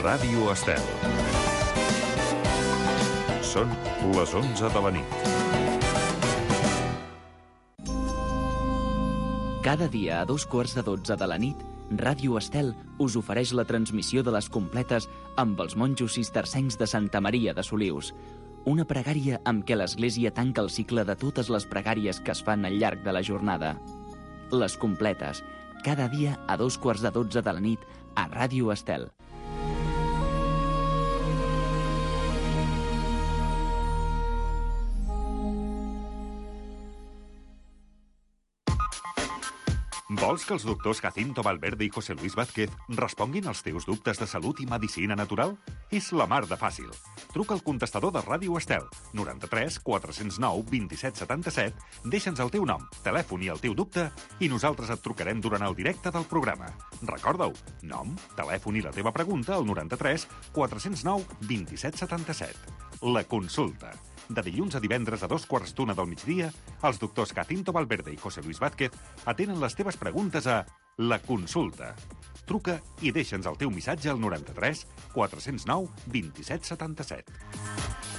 Ràdio Estel. Són les 11 de la nit. Cada dia a 2:15 de la nit, Ràdio Estel us ofereix la transmissió de les completes amb els monjos cistercencs de Santa Maria de Solius. Una pregària amb què l'Església tanca el cicle de totes les pregàries que es fan al llarg de la jornada. Les completes, cada dia a 2:15 de la nit a Ràdio Estel. Vols que els doctors Jacinto Valverde i José Luis Vázquez responguin als teus dubtes de salut i medicina natural? És la mar de fàcil. Truca al contestador de Ràdio Estel, 93 409 27 77, deixa'ns el teu nom, telèfon i el teu dubte i nosaltres et trucarem durant el directe del programa. Recorda-ho, nom, telèfon i la teva pregunta al 93 409 27 77. La consulta. De dilluns a divendres a 2:15 del migdia, els doctors Jacinto Valverde i José Luis Vázquez atenen les teves preguntes a La Consulta. Truca i deixa'ns el teu missatge al 93 409 27 77.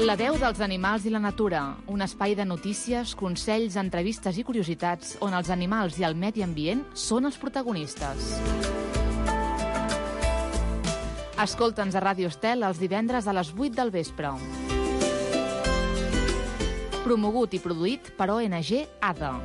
La veu dels animals i la natura, un espai de notícies, consells, entrevistes i curiositats on els animals i el medi ambient són els protagonistes. Escolta'ns a Ràdio Estel els divendres a les 8 del vespre. Promogut i produït per ONG ADA.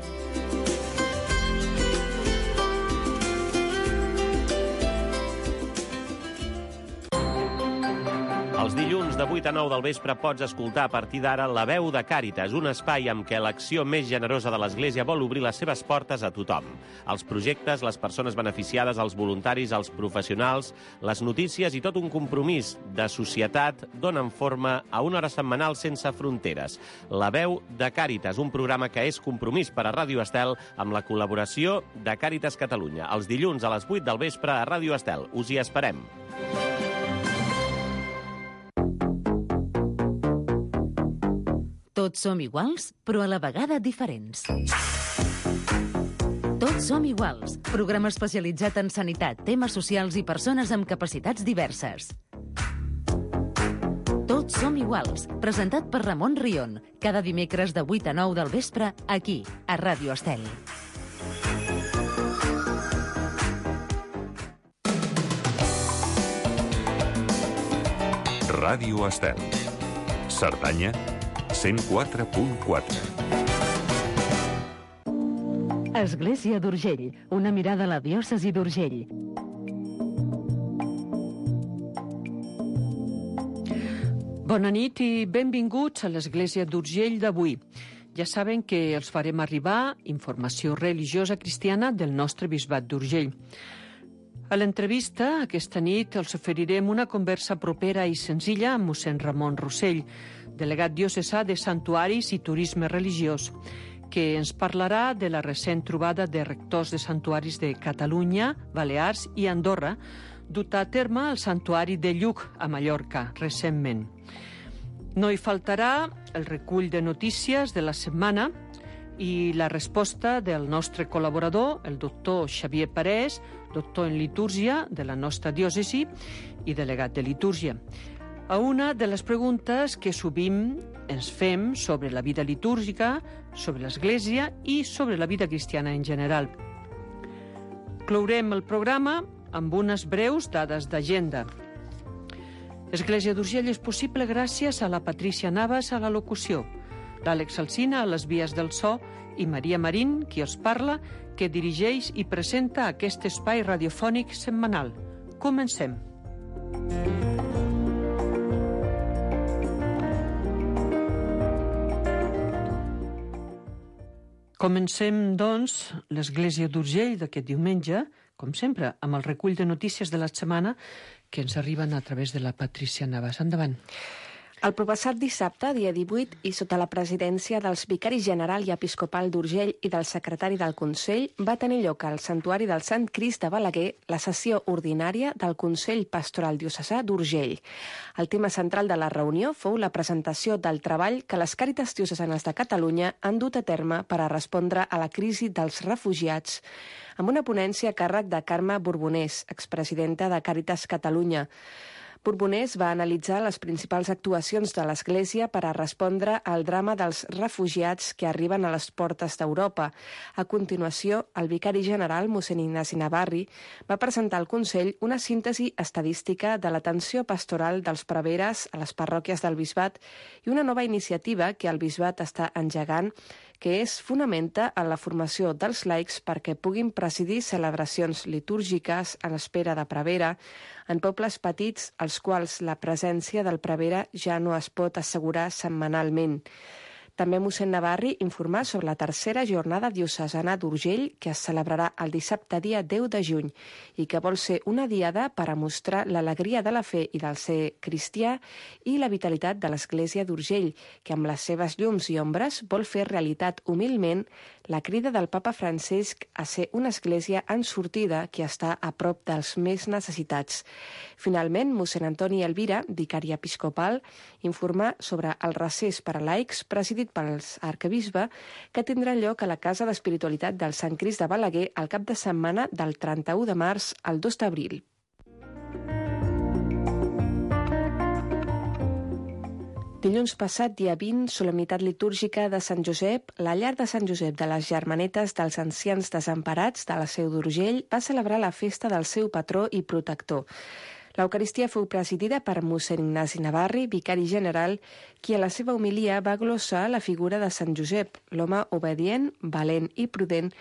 Els dilluns de 8 a 9 del vespre pots escoltar a partir d'ara La Veu de Càritas, un espai amb què l'acció més generosa de l'Església vol obrir les seves portes a tothom. Els projectes, les persones beneficiades, els voluntaris, els professionals, les notícies i tot un compromís de societat donen forma a una hora setmanal sense fronteres. La Veu de Càritas, un programa que és compromís per a Ràdio Estel amb la col·laboració de Càritas Catalunya. Els dilluns a les 8 del vespre a Ràdio Estel. Us hi esperem. Tots som iguals, però a la vegada diferents. Tots som iguals, programa especialitzat en sanitat, temes socials i persones amb capacitats diverses. Tots som iguals, presentat per Ramon Rion, cada dimecres de 8 a 9 del vespre, aquí, a Ràdio Estel. Ràdio Estel. Cerdanya 104.4. Església d'Urgell, una mirada a la diòcesi d'Urgell. Bona nit i benvinguts a l'Església d'Urgell d'avui. Ja saben que els farem arribar informació religiosa cristiana del nostre bisbat d'Urgell. A l'entrevista, aquesta nit, els oferirem una conversa propera i senzilla amb mossèn Ramon Rossell, delegat diocesà de Santuaris i Turisme Religiós, que ens parlarà de la recent trobada de rectors de santuaris de Catalunya, Balears i Andorra, duta a terme al Santuari de Lluc, a Mallorca, recentment. No hi faltarà el recull de notícies de la setmana i la resposta del nostre col·laborador, el doctor Xavier Parés, doctor en litúrgia de la nostra diòcesi i delegat de litúrgia, a una de les preguntes que sovint ens fem sobre la vida litúrgica, sobre l'Església i sobre la vida cristiana en general. Clourem el programa amb unes breus dades d'agenda. Església d'Urgell és possible gràcies a la Patrícia Navas a la locució, l'Àlex Alsina a les vies del so i Maria Marín, qui us parla, que dirigeix i presenta aquest espai radiofònic setmanal. Comencem. Comencem, doncs, l'Església d'Urgell d'aquest diumenge, com sempre, amb el recull de notícies de la setmana que ens arriben a través de la Patrícia Navas. Endavant. El proppassat dissabte, dia 18, i sota la presidència dels vicaris general i episcopal d'Urgell i del secretari del Consell, va tenir lloc al Santuari del Sant Crist de Balaguer la sessió ordinària del Consell Pastoral Diocesà d'Urgell. El tema central de la reunió fou la presentació del treball que les Càritas diocesanes de Catalunya han dut a terme per a respondre a la crisi dels refugiats, amb una ponència a càrrec de Carme Borbonès, expresidenta de Càritas Catalunya. Borbonès va analitzar les principals actuacions de l'Església per a respondre al drama dels refugiats que arriben a les portes d'Europa. A continuació, el vicari general, mossèn Ignasi Navarri, va presentar al Consell una síntesi estadística de l'atenció pastoral dels preveres a les parròquies del Bisbat i una nova iniciativa que el Bisbat està engegant, que es fonamenta en la formació dels laics perquè puguin presidir celebracions litúrgiques en espera de prevere en pobles petits als quals la presència del prevere ja no es pot assegurar setmanalment. També mossèn Navarri informà sobre la tercera jornada diocesana d'Urgell que es celebrarà el dissabte dia 10 de juny i que vol ser una diada per a mostrar l'alegria de la fe i del ser cristià i la vitalitat de l'Església d'Urgell, que amb les seves llums i ombres vol fer realitat humilment la crida del papa Francesc a ser una església en sortida que està a prop dels més necessitats. Finalment, mossèn Antoni Elvira, vicari episcopal, informà sobre el recés per a laics presidit pels arquebisbe que tindrà lloc a la Casa d'Espiritualitat del Sant Crist de Balaguer al cap de setmana del 31 de març al 2 d'abril. Dilluns passat, dia 20, solemnitat litúrgica de Sant Josep, la llar de Sant Josep de les Germanetes dels Ancians Desemparats de la Seu d'Urgell va celebrar la festa del seu patró i protector. L'Eucaristia fou presidida per mossèn Ignasi Navarri, vicari general, qui a la seva homilia va glossar la figura de Sant Josep, l'home obedient, valent i prudent,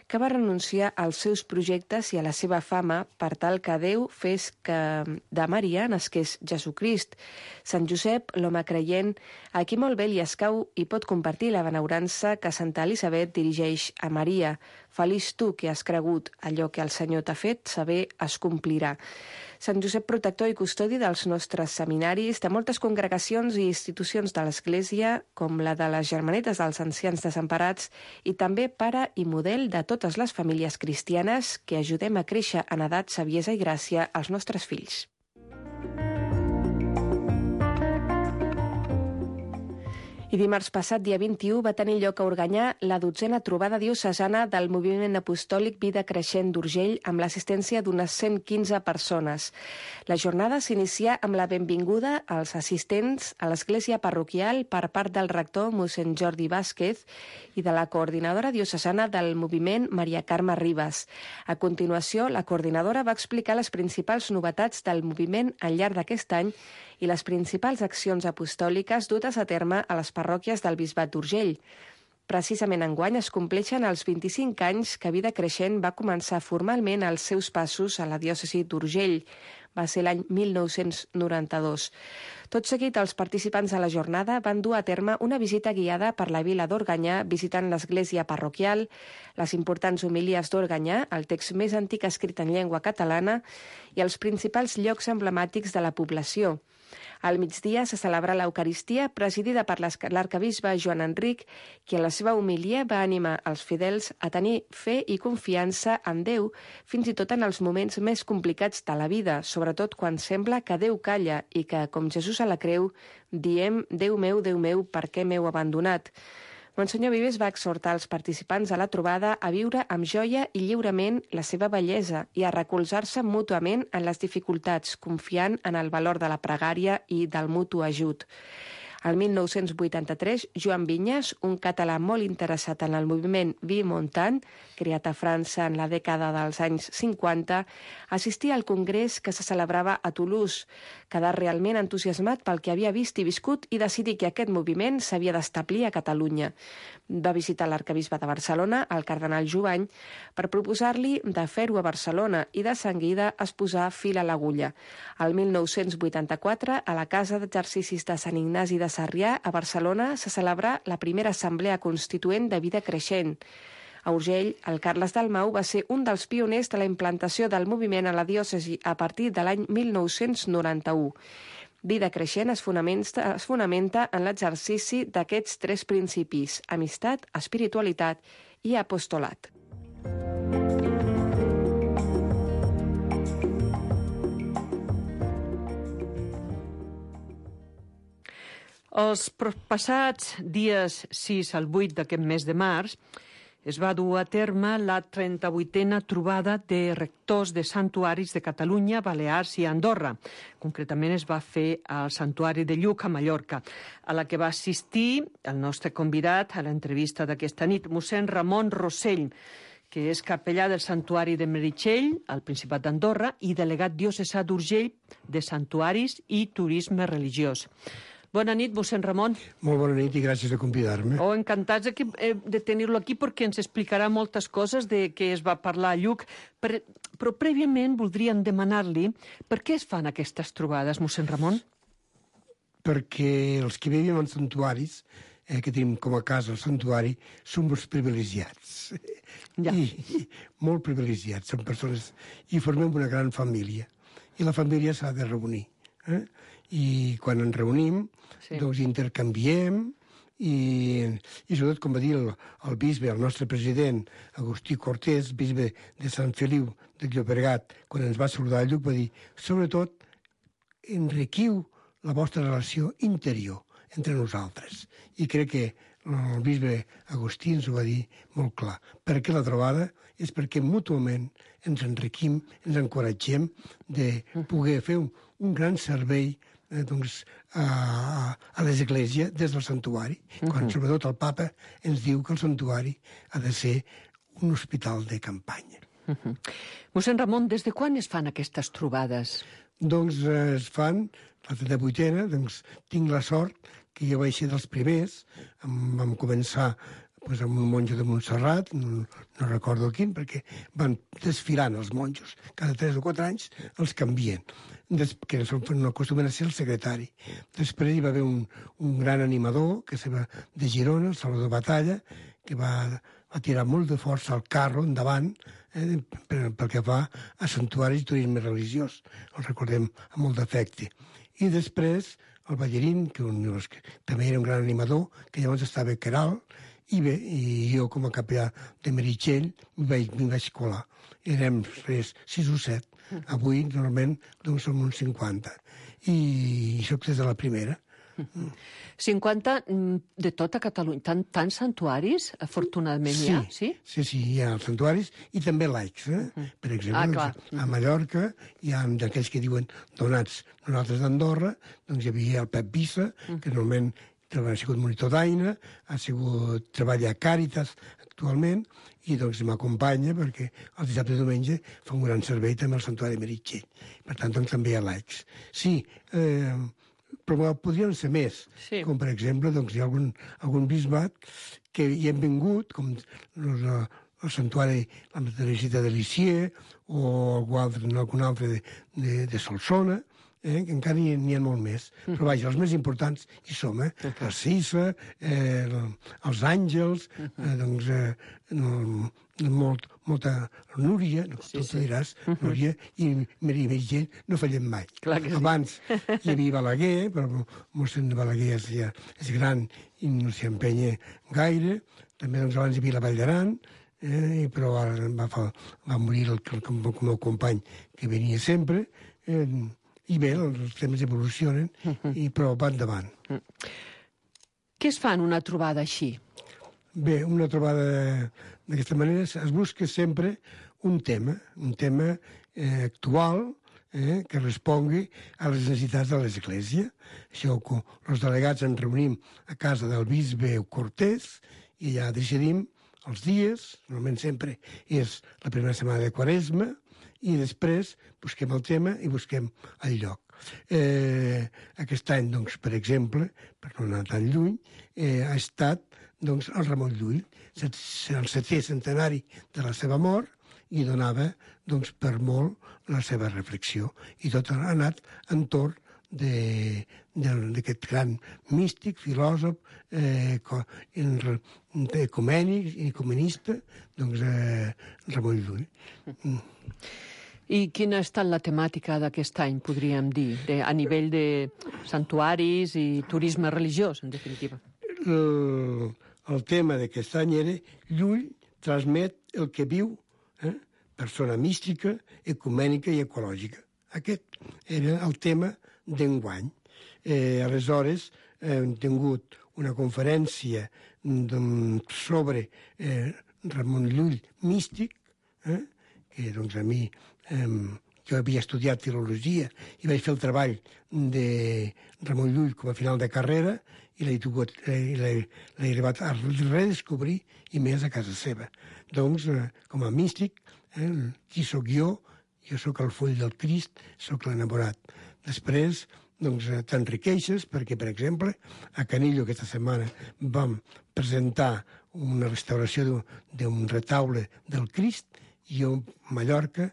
que va renunciar als seus projectes i a la seva fama per tal que Déu fes que de Maria nasqués Jesucrist. Sant Josep, l'home creient, a qui molt bé li escau i pot compartir la benaurança que Santa Elisabet dirigeix a Maria. Feliç tu que has cregut, allò que el Senyor t'ha fet saber es complirà. Sant Josep, protector i custodi dels nostres seminaris, de moltes congregacions i institucions de l'Església, com la de les Germanetes dels Ancians Desemparats, i també pare i model de totes les famílies cristianes que ajudem a créixer en edat, saviesa i gràcia als nostres fills. I dimarts passat, dia 21, va tenir lloc a Organyà la 12a trobada diocesana del moviment apostòlic Vida Creixent d'Urgell amb l'assistència d'unes 115 persones. La jornada s'inicia amb la benvinguda als assistents a l'església parroquial per part del rector mossèn Jordi Vázquez i de la coordinadora diocesana del moviment Maria Carme Ribas. A continuació, la coordinadora va explicar les principals novetats del moviment al llarg d'aquest any i les principals accions apostòliques dutes a terme a les parròquies del Bisbat d'Urgell. Precisament enguany es compleixen els 25 anys que Vida Creixent va començar formalment els seus passos a la diòcesi d'Urgell. Va ser l'any 1992. Tot seguit, els participants a la jornada van dur a terme una visita guiada per la vila d'Organyà, visitant l'església parroquial, les importants homilies d'Organyà, el text més antic escrit en llengua catalana, i els principals llocs emblemàtics de la població. Al migdia se celebra l'Eucaristia, presidida per l'arquebisbe Joan Enric, qui a la seva homilia va animar els fidels a tenir fe i confiança en Déu, fins i tot en els moments més complicats de la vida, sobretot quan sembla que Déu calla i que, com Jesús a la creu, diem Déu meu, per què m'heu abandonat? Monsenyor Vives va exhortar els participants a la trobada a viure amb joia i lliurement la seva bellesa i a recolzar-se mútuament en les dificultats, confiant en el valor de la pregària i del mutu ajut. El 1983, Joan Vinyes, un català molt interessat en el moviment Vie-Montagne, creat a França en la dècada dels anys 50, assistia al congrés que se celebrava a Toulouse, quedar realment entusiasmat pel que havia vist i viscut i decidir que aquest moviment s'havia d'establir a Catalunya. Va visitar l'arquebisbe de Barcelona, el cardenal Jubany, per proposar-li de fer-ho a Barcelona i de seguida es posà fil a l'agulla. El 1984, a la Casa d'Exercicis de Sant Ignasi de Sarrià, a Barcelona, se celebrà la primera assemblea constituent de Vida Creixent. A Urgell, el Carles Dalmau va ser un dels pioners de la implantació del moviment a la diòcesi a partir de l'any 1991. Vida creixent es fonamenta en l'exercici d'aquests 3 principis: amistat, espiritualitat i apostolat. Els passats dies 6 al 8 d'aquest mes de març es va dur a terme la 38a trobada de rectors de santuaris de Catalunya, Balears i Andorra. Concretament es va fer al Santuari de Lluc, a Mallorca, a la que va assistir el nostre convidat a l'entrevista d'aquesta nit, mossèn Ramon Rossell, que és capellà del Santuari de Meritxell, al Principat d'Andorra, i delegat diocesà d'Urgell de Santuaris i Turisme Religiós. Bona nit, mossèn Ramon. Molt bona nit i gràcies de convidar-me. Encantats de tenir-lo aquí perquè ens explicarà moltes coses de què es va parlar a Lluc. Però prèviament voldríem demanar-li per què es fan aquestes trobades, mossèn Ramon? Perquè els que vivim en santuaris, que tenim com a casa el santuari, som els privilegiats. Ja. I molt privilegiats, som persones, i formem una gran família. I la família s'ha de reunir. I quan ens reunim, doncs intercanviem i sobretot, com va dir el bisbe, el nostre president, Agustí Cortés, bisbe de Sant Feliu de Llobregat, quan ens va saludar a Lluc, va dir, sobretot, enriquiu la vostra relació interior entre nosaltres. I crec que el bisbe Agustí ens ho va dir molt clar. Perquè la trobada és perquè mútuament ens enriquim, ens encoratgem de poder fer un gran servei a l'Església des del santuari, quan sobretot el papa ens diu que el santuari ha de ser un hospital de campanya. Mossèn Ramon, des de quan es fan aquestes trobades? Doncs es fan, la 38a, doncs tinc la sort que jo vaig ser dels primers, vam començar amb un monjo de Montserrat, no recordo quin, perquè van desfilant els monjos, cada 3 o 4 anys els canvien, que no acostumen a ser el secretari. Després hi va haver un gran animador, que va de Girona, el Salvador Batalla, que va tirar molt de força el carro endavant, pel que fa a santuaris i turisme religiós. El recordem amb molt d'afecte. I després el Ballerín, que també era un gran animador, que llavors estava a Queralt, i jo, com a capellà de Meritxell, m'hi vaig colar. Érem 6 o 7. Avui, normalment, doncs som uns 50. I soc des de la primera. 50 de tota Catalunya. Tants santuaris, afortunadament, hi ha? Sí, hi ha els santuaris i també laics. Per exemple, a Mallorca hi ha d'aquells que diuen donats nosaltres d'Andorra, doncs hi havia el Pep Bissa, que normalment ha sigut monitor d'Aina, ha sigut treballa a Càritas actualment, i doncs m'acompanya perquè el dissabte i diumenge fa un gran servei també al Santuari de Meritxell. Per tant, doncs també hi ha laics. Sí, però podrien ser més. Com, per exemple, doncs hi ha algun bisbat que hi hem vingut, com el Santuari la Teresita de Lisieux o algun altre de Solsona, que encara n'hi ha molt més. Però vaja, els més importants hi som, la Cissa, els Àngels, doncs molta Núria, tu diràs, Núria i Meritxell no fallem mai. Abans hi havia Balaguer, però mossèn Balaguer és gran i no s'hi empenya gaire. També abans hi havia la Vall d'Aran, però ara va morir el meu company que venia sempre. I bé, els temps evolucionen, però va endavant. Què es fa en una trobada així? Bé, una trobada d'aquesta manera es busca sempre un tema actual que respongui a les necessitats de l'Església. Això, els delegats ens reunim a casa del bisbe Cortés i allà decidim els dies, normalment sempre és la primera setmana de Quaresma, i després busquem el tema i busquem el lloc. Aquest any, doncs, per exemple, per no anar tan lluny, ha estat doncs, el Ramon Llull, el 7è centenari de la seva mort, i donava doncs, per molt la seva reflexió. I tot ha anat entorn d'aquest gran místic, filòsof, ecumènic i ecumenista, doncs, Ramon Llull. I quina ha estat la temàtica d'aquest any, podríem dir, a nivell de santuaris i turisme religiós, en definitiva? El tema d'aquest any era Llull transmet el que viu, persona mística, ecumènica i ecològica. Aquest era el tema d'enguany. Aleshores, hem tingut una conferència sobre Ramon Llull místic, que doncs a mi, jo havia estudiat filologia i vaig fer el treball de Ramon Llull com a final de carrera i l'he arribat a redescobrir i més a casa seva. Doncs, com a místic, qui sóc jo? Jo sóc el full del Crist, sóc l'enamorat. Després, doncs, t'enriqueixes perquè, per exemple, a Canillo aquesta setmana vam presentar una restauració d'un retaule del Crist i jo, a Mallorca,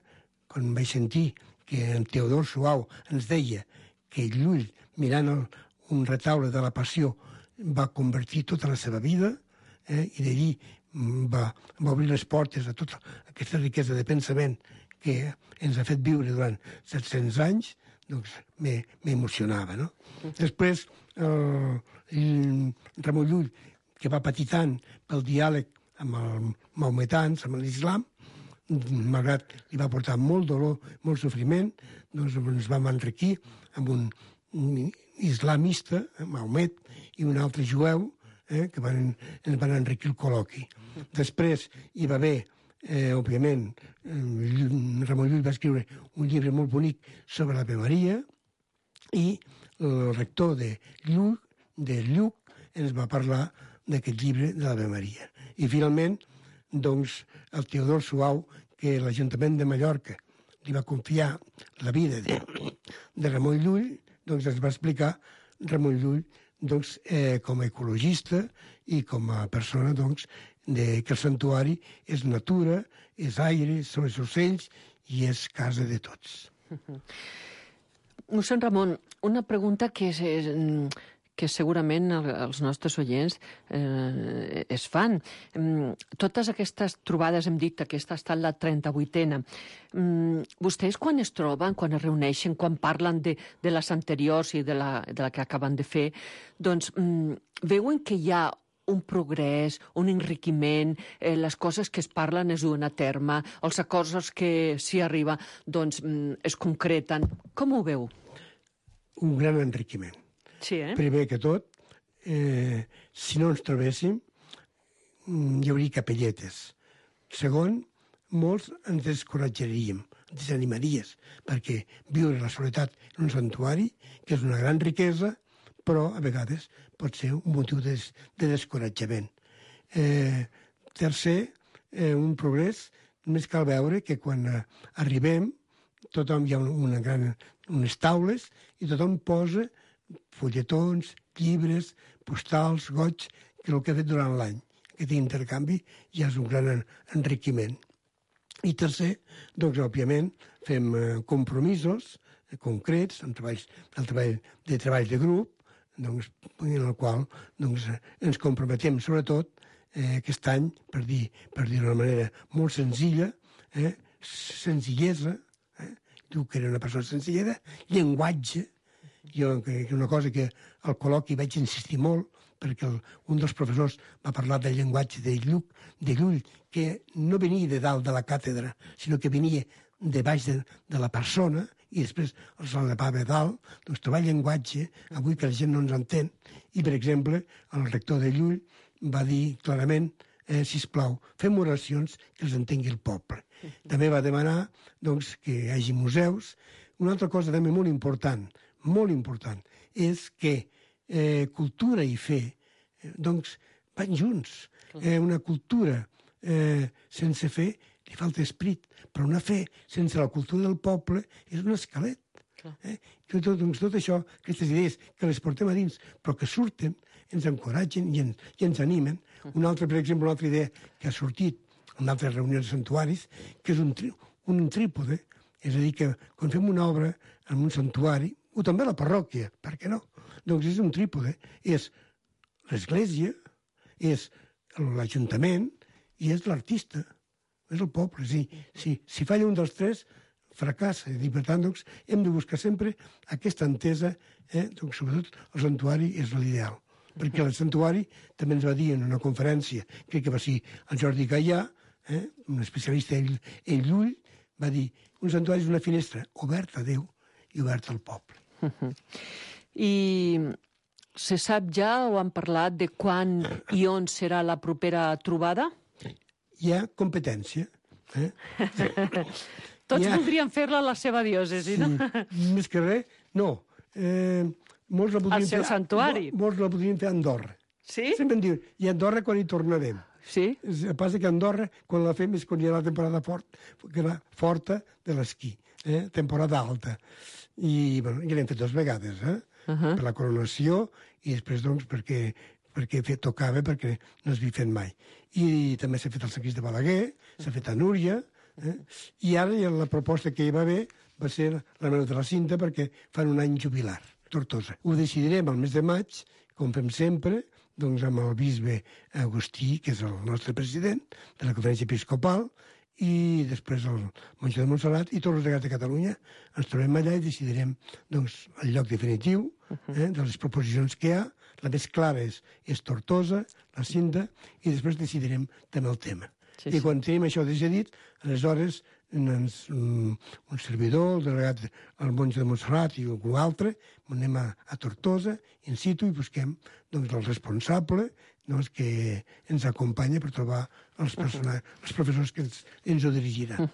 quan vaig sentir que en Teodor Suau ens deia que Llull, mirant un retaule de la Passió, va convertir tota la seva vida i d'allí va obrir les portes a tota aquesta riquesa de pensament que ens ha fet viure durant 700 anys, doncs m'emocionava, no? Després, Ramon Llull, que va patir tant pel diàleg amb els maometans, amb l'islam, malgrat li va portar molt dolor, molt sofriment, doncs ens vam enriquir amb un islamista, Mahomet, i un altre jueu, que ens van enriquir el col·loqui. Després hi va haver, òbviament, Ramon Llull va escriure un llibre molt bonic sobre l'Ave Maria i el rector de Lluc ens va parlar d'aquest llibre de l'Ave Maria. I finalment, doncs, el Teodor Suau, que l'Ajuntament de Mallorca li va confiar la vida de Ramon Llull, doncs ens va explicar Ramon Llull doncs, com a ecologista i com a persona doncs, que el santuari és natura, és aire, són els ocells i és casa de tots. Mossèn Ramon, una pregunta que segurament els nostres oients es fan. Totes aquestes trobades, hem dit, aquesta ha estat la 38a. Vostès quan es troben, quan es reuneixen, quan parlen de les anteriors i de la que acaben de fer, doncs veuen que hi ha un progrés, un enriquiment, les coses que es parlen es duen a terme, els acords als que s'hi arriba doncs es concreten. Com ho veu? Un gran enriquiment. Sí, Primer que tot, si no ens trobéssim, hi hauria capelletes. Segon, molts ens descoratjaríem, ens desanimaries, perquè viure la soledat en un santuari, que és una gran riquesa, però a vegades pot ser un motiu de descoratjament. Tercer, un progrés, només cal veure que quan arribem tothom hi ha unes taules i tothom posa fulletons, llibres, postals, goig, que és el que ha fet durant l'any. Aquest intercanvi ja és un gran enriquiment. I tercer, doncs, òbviament, fem compromisos concrets, el treball de grup, doncs, en el qual doncs, ens comprometem, sobretot, aquest any, per dir d'una manera molt senzilla, senzillesa, diu que era una persona senzillera, llenguatge, jo, que una cosa que al col·loqui vaig insistir molt, perquè un dels professors va parlar del llenguatge de Llull, que no venia de dalt de la càtedra, sinó que venia de baix de la persona, i després els elevava a dalt, doncs trobar llenguatge, avui que la gent no ens entén, i per exemple, el rector de Llull va dir clarament, sisplau, fem oracions que els entengui el poble. També va demanar doncs, que hi hagi museus. Una altra cosa també molt important, és que cultura i fe doncs, van junts. Una cultura sense fe li falta esperit, però una fe sense la cultura del poble és un esquelet. Tot això, aquestes idees que les portem a dins, però que surten, ens encoratgen i ens animen. Per exemple, una altra idea que ha sortit en altres reunions de santuaris, que és un trípode, és a dir, que quan fem una obra en un santuari, o també a la parròquia, per què no? Doncs és un trípode, és l'església, és l'Ajuntament i és l'artista, és el poble. Si falla un dels tres, fracassa. I per tant, doncs, hem de buscar sempre aquesta entesa, doncs, sobretot el santuari és l'ideal. Perquè el santuari també ens va dir en una conferència, crec que va ser el Jordi Gaià, un especialista ell Llull, va dir un santuari és una finestra oberta a Déu i oberta al poble. I se sap ja o han parlat de quan i on serà la propera trobada? Hi ha competència. Tots voldrien fer-la a la seva diòcesi, no? Més que res, no. Molts la al seu santuari. Molts la podrien fer a Andorra. Sí? Sempre em diuen, i a Andorra quan hi tornarem? Sí? El que passa que a Andorra, quan la fem, és quan hi ha la temporada forta de l'esquí, temporada alta. I, bueno, ja l'hem fet 2 vegades, per la coronació i després, doncs, perquè tocava, perquè no s'havia fet mai. I també s'ha fet el Sant Crist de Balaguer, s'ha fet a Núria, i ara la proposta que hi va haver va ser la Mare de la Cinta, perquè fan un any jubilar, Tortosa. Ho decidirem al mes de maig, com fem sempre, doncs amb el bisbe Agustí, que és el nostre president de la Conferència Episcopal, i després el monjo de Montserrat i tots els delegats de Catalunya ens trobem allà i decidirem doncs, el lloc definitiu de les proposicions que hi ha. La més clara és Tortosa, la Cinta, i després decidirem també el tema. I quan tenim això decidit, aleshores un servidor, el delegat, el monjo de Montserrat i algú altre, anem a Tortosa, in situ, i busquem doncs, el responsable que ens acompanya per trobar els professors que ens ho dirigiran.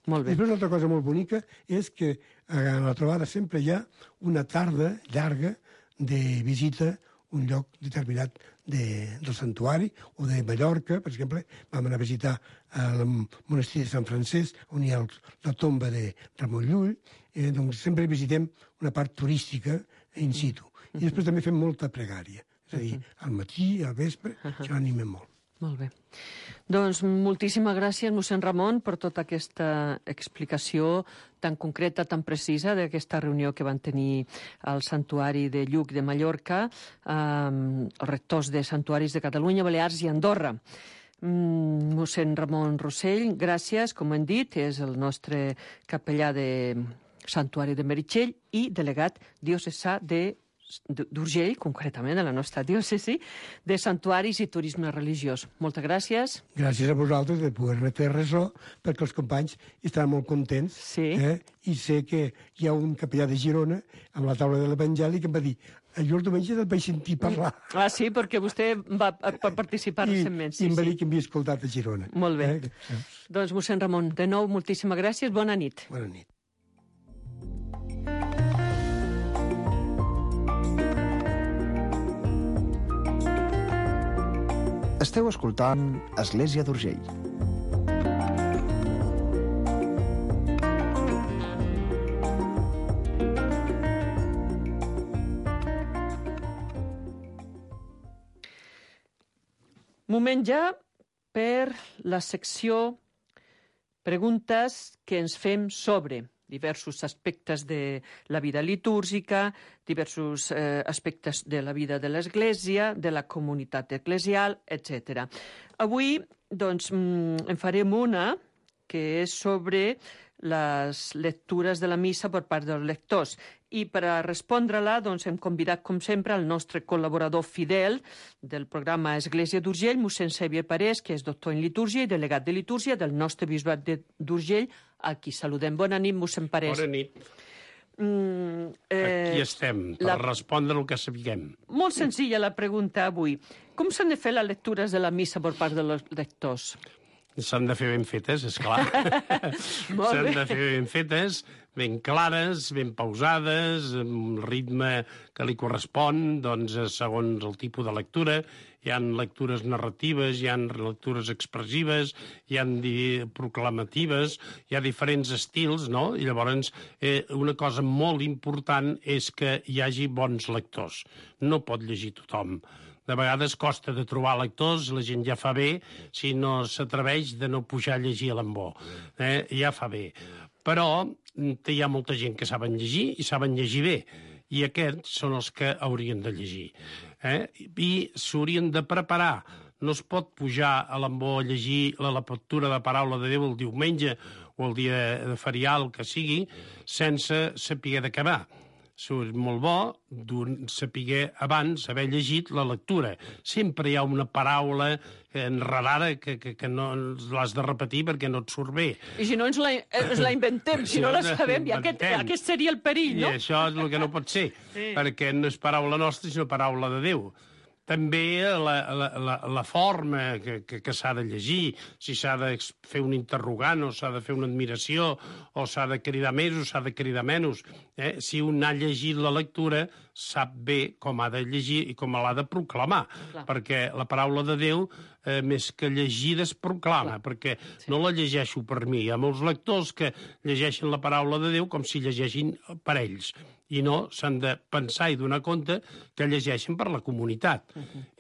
Molt bé. Després, una altra cosa molt bonica és que a la trobada sempre hi ha una tarda llarga de visita a un lloc determinat del santuari, o de Mallorca, per exemple, vam anar a visitar el monestir de Sant Francesc, on hi ha la tomba de Ramon Llull, doncs sempre visitem una part turística in situ. I després també fem molta pregària, és a dir, al matí, al vespre, això animem molt. Molt bé. Doncs moltíssimes gràcies, mossèn Ramon, per tota aquesta explicació tan concreta, tan precisa d'aquesta reunió que van tenir al Santuari de Lluc de Mallorca, els rectors de santuaris de Catalunya, Balears i Andorra. Mossèn Ramon Rossell, gràcies, com hem dit, és el nostre capellà de Santuari de Meritxell i delegat diocesà d'Urgell, concretament a la nostra diòcesi, de santuaris i turisme religiós. Moltes gràcies. Gràcies a vosaltres de poder-me fer ressò, perquè els companys estan molt contents. Sí. I sé que hi ha un capellà de Girona, amb la taula de l'Evangeli, que em va dir jo el diumenge et vaig sentir parlar. Ah, sí, perquè vostè va participar recentment. I em va dir que m'havia escoltat a Girona. Molt bé. Doncs, mossèn Ramon, de nou, moltíssimes gràcies. Bona nit. Bona nit. Esteu escoltant Església d'Urgell. Moment ja per la secció preguntes que ens fem sobre diversos aspectes de la vida litúrgica, diversos aspectes de la vida de l'Església, de la comunitat eclesial, etc. Avui, doncs, en farem una que és sobre les lectures de la missa per part dels lectors. I per a respondre-la, doncs, hem convidat, com sempre, el nostre col·laborador fidel del programa Església d'Urgell, mossèn Xavier Parés, que és doctor en litúrgia i delegat de litúrgia del nostre bisbat d'Urgell, a qui saludem. Bona nit, mossèn Parés. Bona nit. Aquí estem, per respondre el que sapiguem. Molt senzilla la pregunta avui. Com s'han de fer les lectures de la missa per part dels lectors? S'han de fer ben fetes, esclar. S'han de fer ben fetes, ben clares, ben pausades, amb el ritme que li correspon, doncs, segons el tipus de lectura. Hi ha lectures narratives, hi ha lectures expressives, hi ha proclamatives, hi ha diferents estils, no? I llavors una cosa molt important és que hi hagi bons lectors. No pot llegir tothom. De vegades costa de trobar lectors, la gent ja fa bé, si no s'atreveix de no pujar a llegir a l'embó. Ja fa bé. Però hi ha molta gent que saben llegir i saben llegir bé, i aquests són els que haurien de llegir. I s'haurien de preparar. No es pot pujar a l'embó a llegir la lectura de paraula de Déu el diumenge o el dia ferial que sigui, sense saber d'acabar. És molt bo saber abans haver llegit la lectura. Sempre hi ha una paraula enredada que no l'has de repetir perquè no et surt bé. I si no ens la inventem, si no la sabem, i aquest seria el perill, no? I això és el que no pot ser, perquè no és paraula nostra, sinó paraula de Déu. També la forma que s'ha de llegir, si s'ha de fer un interrogant o s'ha de fer una admiració o s'ha de cridar més o s'ha de cridar menys. Si un ha llegit la lectura, sap bé com ha de llegir i com l'ha de proclamar, perquè la paraula de Déu, més que llegida, es proclama, perquè no la llegeixo per mi. Hi ha molts lectors que llegeixen la paraula de Déu com si llegeixin per ells, i no s'han de pensar i donar compte que llegeixen per la comunitat.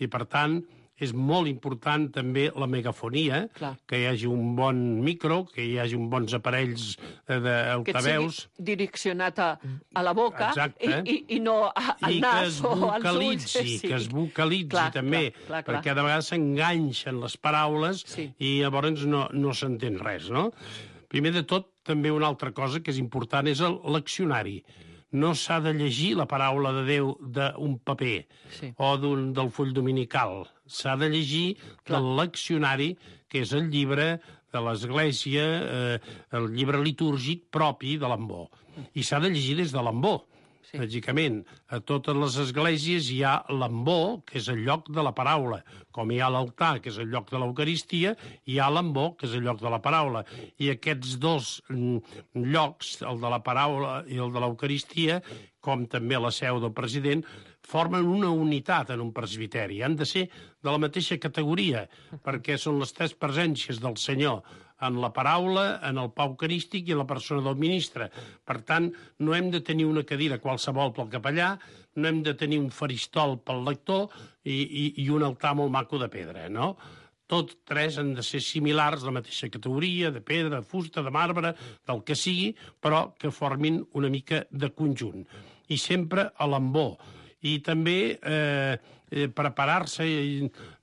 I, per tant, és molt important també la megafonia, que hi hagi un bon micro, que hi hagi uns bons aparells d'altaveus. Que sigui direccionat a la boca i no al nas o als ulls. Que es vocalitzi també, perquè de vegades s'enganxen les paraules i llavors no s'entén res, no? Primer de tot, també una altra cosa que és important és el leccionari. No s'ha de llegir la paraula de Déu d'un paper o del full dominical. S'ha de llegir del leccionari, que és el llibre de l'Església, el llibre litúrgic propi de l'Ambó. I s'ha de llegir des de l'Ambó. Lògicament, a totes les esglésies hi ha l'ambó, que és el lloc de la paraula. Com hi ha l'altar, que és el lloc de l'Eucaristia, hi ha l'ambó, que és el lloc de la paraula. I aquests dos llocs, el de la paraula i el de l'Eucaristia, com també la seu del president, formen una unitat en un presbiteri. Han de ser de la mateixa categoria, perquè són les tres presències del Senyor, en la paraula, en el pa eucarístic i en la persona del ministre. Per tant, no hem de tenir una cadira qualsevol pel capellà, no hem de tenir un faristol pel lector i un altar molt maco de pedra, no? Tots tres han de ser similars, de la mateixa categoria, de pedra, de fusta, de marbre, del que sigui, però que formin una mica de conjunt. I sempre a l'ambó. I també preparar-se.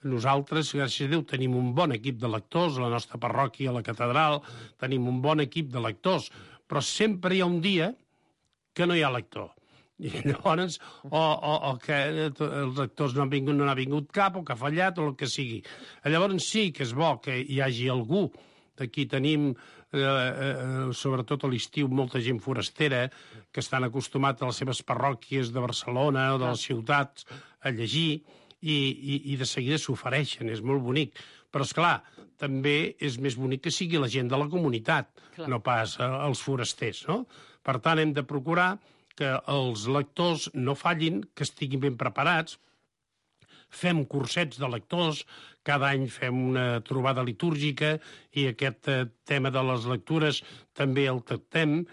Nosaltres, gràcies a Déu, tenim un bon equip de lectors, a la nostra parròquia, a la catedral, tenim un bon equip de lectors, però sempre hi ha un dia que no hi ha lector. I llavors, o que els lectors no n'ha vingut cap, o que ha fallat, o el que sigui. Llavors sí que és bo que hi hagi algú. Aquí tenim, sobretot a l'estiu, molta gent forastera que estan acostumats a les seves parròquies de Barcelona o de les ciutats a llegir i de seguida s'ofereixen, és molt bonic. Però, esclar, també és més bonic que sigui la gent de la comunitat, no pas els forasters, no? Per tant, hem de procurar que els lectors no fallin, que estiguin ben preparats. Fem cursets de lectors, cada any fem una trobada litúrgica i aquest tema de les lectures també el tractem.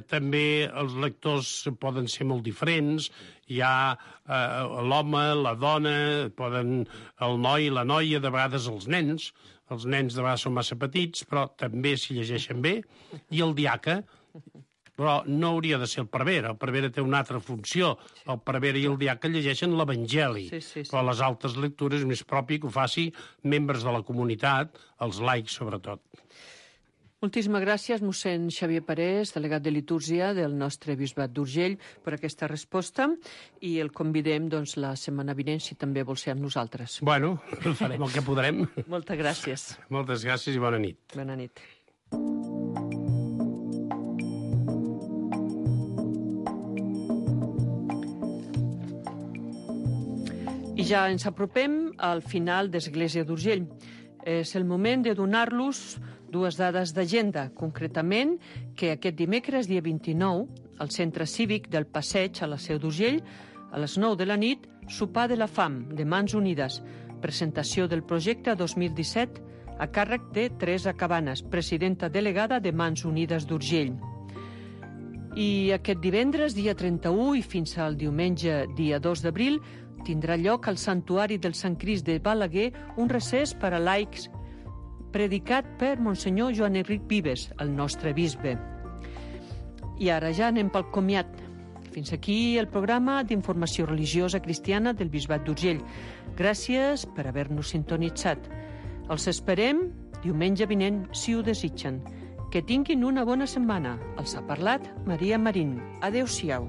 També els lectors poden ser molt diferents. Hi ha l'home, la dona, el noi, la noia, de vegades els nens. Els nens de vegades són massa petits, però també s'hi llegeixen bé. I el diaca, però no hauria de ser el prevere té una altra funció. El prevere i el diaca llegeixen l'Evangeli, però les altres lectures és més propi que ho faci membres de la comunitat, els laics sobretot. Moltíssimes gràcies, mossèn Xavier Parés, delegat de litúrgia del nostre bisbat d'Urgell, per aquesta resposta, i el convidem la setmana vinent, si també vol ser amb nosaltres. Bueno, farem el que podrem. Moltes gràcies. Moltes gràcies i bona nit. Bona nit. I ja ens apropem al final d'Església d'Urgell. És el moment de donar-los dues dades d'agenda. Concretament, que aquest dimecres, dia 29, al Centre Cívic del Passeig, a la Seu d'Urgell, a les 9 de la nit, sopar de la fam, de Mans Unides. Presentació del projecte 2017 a càrrec de Teresa Cabanes, presidenta delegada de Mans Unides d'Urgell. I aquest divendres, dia 31, i fins al diumenge, dia 2 d'abril, tindrà lloc al Santuari del Sant Crist de Balaguer un recés per a laics predicat per Monsenyor Joan Enric Vives, el nostre bisbe. I ara ja anem pel comiat. Fins aquí el programa d'informació religiosa cristiana del Bisbat d'Urgell. Gràcies per haver-nos sintonitzat. Els esperem diumenge vinent, si ho desitgen. Que tinguin una bona setmana. Els ha parlat Maria Marín. Adéu-siau.